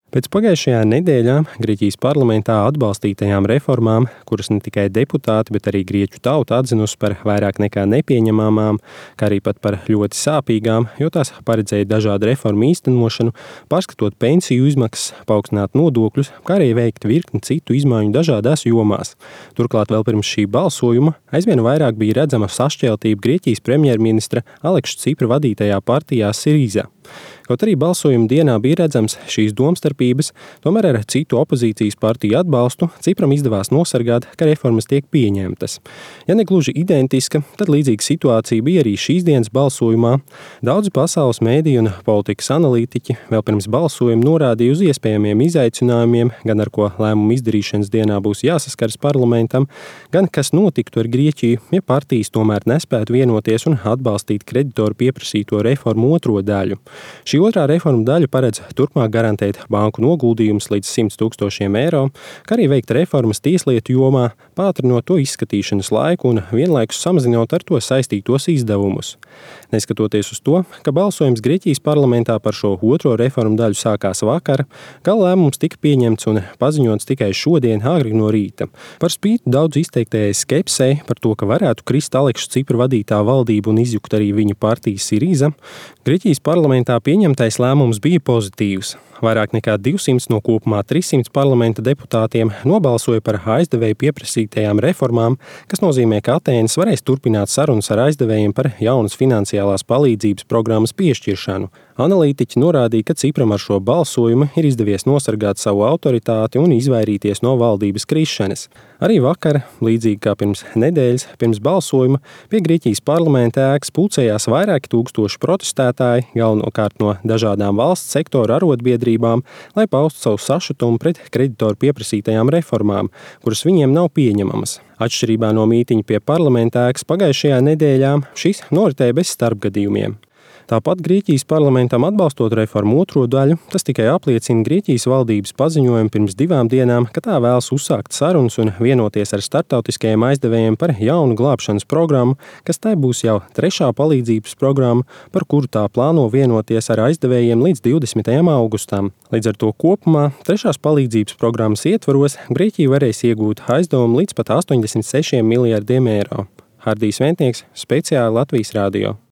Pēc pagājušajā nedēļā Grieķijas parlamentā atbalstītajām reformām, kuras ne tikai deputāti, bet arī grieķu tauta atzinusi par vairāk nekā nepieņemamām, kā arī pat par ļoti sāpīgām, jo tās paredzēja dažādu reformu īstenošanu, pārskatot pensiju izmaksas, paaugstināt nodokļus, kā arī veikt virkni citu izmaiņu dažādās jomās. Turklāt vēl pirms šī balsojuma aizvien vairāk bija redzama sašķeltība Grieķijas premjerministra Aleksa Cipra vadītajā partijā Siriza. Kaut arī balsojuma dienā bija redzams šīs domstarpības, tomēr ar citu opozīcijas partiju atbalstu Cipram izdevās nosargāt, ka reformas tiek pieņemtas. Ja ne gluži identiska, tad līdzīga situācija bija arī šīs dienas balsojumā. Daudzi pasaules mēdīju un politikas analītiķi vēl pirms balsojuma norādīja uz iespējamiem izaicinājumiem, gan ar ko lēmumu izdarīšanas dienā būs jāsaskars parlamentam, gan kas notiktu ar Grieķiju, ja partijas tomēr nespētu vienoties un atbalstīt kreditoru pieprasīto reformu otro daļu. Šī otrā reforma daļa paredz turpmāk garantēt banku noguldījumus līdz 100 000 eiro, kā arī veikt reformas tieslietu jomā, pātrinot to izskatīšanas laiku un vienlaikus samazinot ar to saistītos izdevumus. Neskatoties uz to, ka balsojums Grieķijas parlamentā par šo otro reformu daļu sākās vakar, gala lēmums tika pieņemts un paziņots tikai šodien agri no rīta. Par spīti daudz izteiktajai skepsei par to, ka varētu krist Aleksa Cipra vadītā valdība un izjukt arī viņa partija Siriza, Grieķijas parlamentā pieņemtais lēmums bija pozitīvs. Vairāk nekā 200 no kopumā 300 parlamenta deputātiem nobalsoja par aizdevēju pieprasītajām reformām, kas nozīmē, ka Atēnas varēs turpināt sarunas ar aizdevējiem par jaunas finansiālās palīdzības programmas piešķiršanu. Analītiķi norādīja, ka Cipram ar šo balsojumu ir izdevies nosargāt savu autoritāti un izvairīties no valdības krišanas. Arī vakar, līdzīgi kā pirms nedēļas, pirms balsojuma, pie Grieķijas parlamenta ēkas pulcējās vairāki tūkstoši protestētāji, galvenokārt no dažādām valsts sektora arotbiedrībām, lai paustu savu sašutumu pret kreditoru pieprasītajām reformām, kuras viņiem nav pieņemamas. Atšķirībā no mītiņa pie parlamenta ēkas pagājušajā nedēļā, šis noritēja bez starpgadījumiem. Tāpat Grieķijas parlamentam atbalstot reformu otro daļu, tas tikai apliecina Grieķijas valdības paziņojumu pirms 2 dienām, ka tā vēlas uzsākt sarunas un vienoties ar starptautiskajiem aizdevējiem par jaunu glābšanas programmu, kas tai būs jau 3. palīdzības programma, par kuru tā plāno vienoties ar aizdevējiem līdz 20. augustam. Līdz ar to kopumā 3. palīdzības programmas ietvaros Grieķija varēs iegūt aizdevumu līdz pat 86 miljardiem eiro. Hardijs Ventnieks, speciāli Latvijas radio.